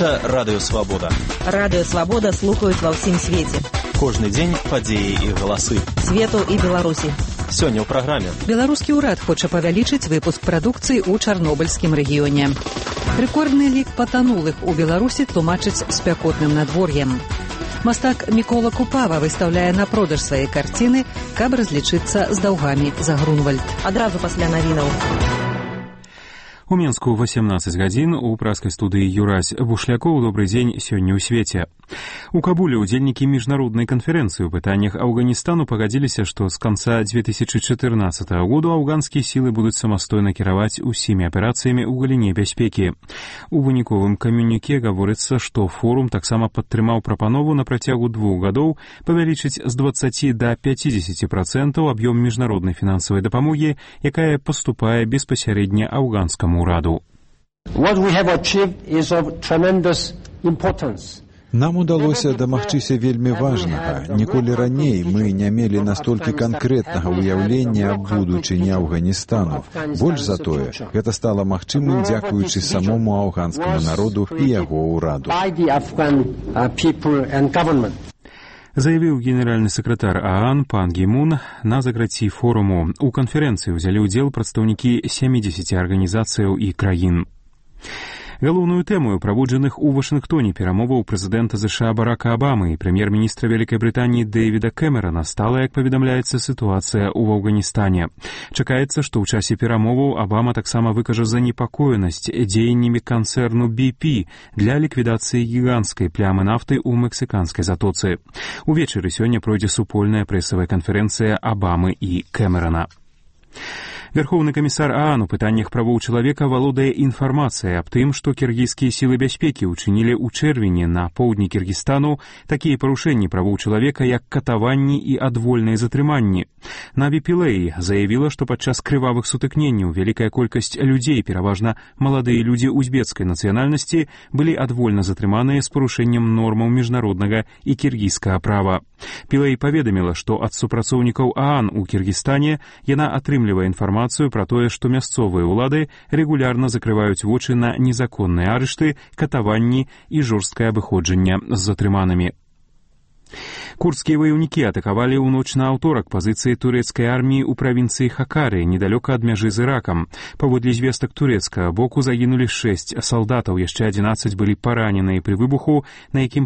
Гэта Радыё Свабода. Радыё Свабода слухаюць ва ўсім свеце. Кожны дзень падзеі і галасы. Свету і Беларусі. Сёння ў праграме. Беларускі ўрад хоча павялічыць выпуск прадукцыі ў Чарнобыльскім рэгіёне. Рэкордны лік патанулых у Беларусі тлумачыць спякотным надвор'ем. Мастак Мікола Купава выстаўляе на продаж свае карціны, каб разлічыцца з даўгамі за Грунвальд. Адразу пасля навінаў. У Мінску 18 гадзін у праскай студыі Юрась Бушлякоў. Добрый дзень сёння ў свеце. У Кабуле ўдзельнікі міжнароднай канферэнцыі ў пытаннях Афганістану пагадзіліся, што з канца 2014 году афганскія сілы будуць самастойна кіраваць усімі аперацыямі ў галіне бяспекі. У выніковым камюніке гаворыцца, што форум таксама падтрымаў прапанову на працягу 2 гадоў павялічыць з 20 да 50% аб'ём міжнароднай фінансавай дапамогі, якая паступае беспасярэдня афганскаму ўраду. What we have achieved is of tremendous importance. Нам удалося дамагчыся вельмі важнага. Ніколі раней мы не мелі настолькі канкрэтнага ўяўлення аб будучыні Афганістану. Больш за тое, гэта стала магчымым дзякуючы самому афганскаму народу і яго ўраду. Заявіў генеральны сакратар ААН Пан Гі Мун на закрыцці форуму. У канферэнцыі ўзялі ўдзел прадстаўнікі 70 арганізацыяў і краін. Галоўную тэму праводжаных у Вашынгтоне перамоваў прэзідэнта ЗША Барака Абамы і прэм'ер-міністра Вялікай Брытаніі Дэвіда Кэмерана стала, як паведамляецца, сітуацыя ў Афганістане. Чакаецца, што ў часе перамоваў Абама таксама выкажа занепакоенасць дзеяннямі канцэрну BP для ліквідацыі гіганцкай плямы нафты ў мексіканскай затоцы. Увечары сёння пройдзе супольная прэсавая канферэнцыя Абамы і Кэмерана. Верховны камісар ААН у пытаннях правоў чалавека валодае інфармацыяй аб тым, што кіргізскія сілы бяспекі ўчынілі ў чэрвені на поўдні Кіргізстану такія парушэнні правоў чалавека, як катаванні і адвольныя затрыманні. Наві Пілэй заявіла, што падчас крывавых сутыкненняў вялікая колькасць людзей, пераважна маладыя людзі узбецкай нацыянальнасці, былі адвольна затрыманыя з парушэннем нормаў міжнароднага і кіргізскага права. Пілэй паведаміла, што ад супрацоўнікаў ААН у Кіргізстане яна атрымлівае інфармацыю пра тое, што мясцовыя ўлады рэгулярна закрываюць вочы на незаконныя арышты, катаванні і жорсткае абыходжанне з затрыманымі. Курдскія ваяўнікі атакавалі ў ноч на аўторак пазіцыі турэцкай арміі ў правінцыі Хакары, недалёка ад мяжы з Іракам. Паводле звестак турэцкага боку загінулі 6 салдатаў, яшчэ 11 былі параненыя пры выбуху, на якім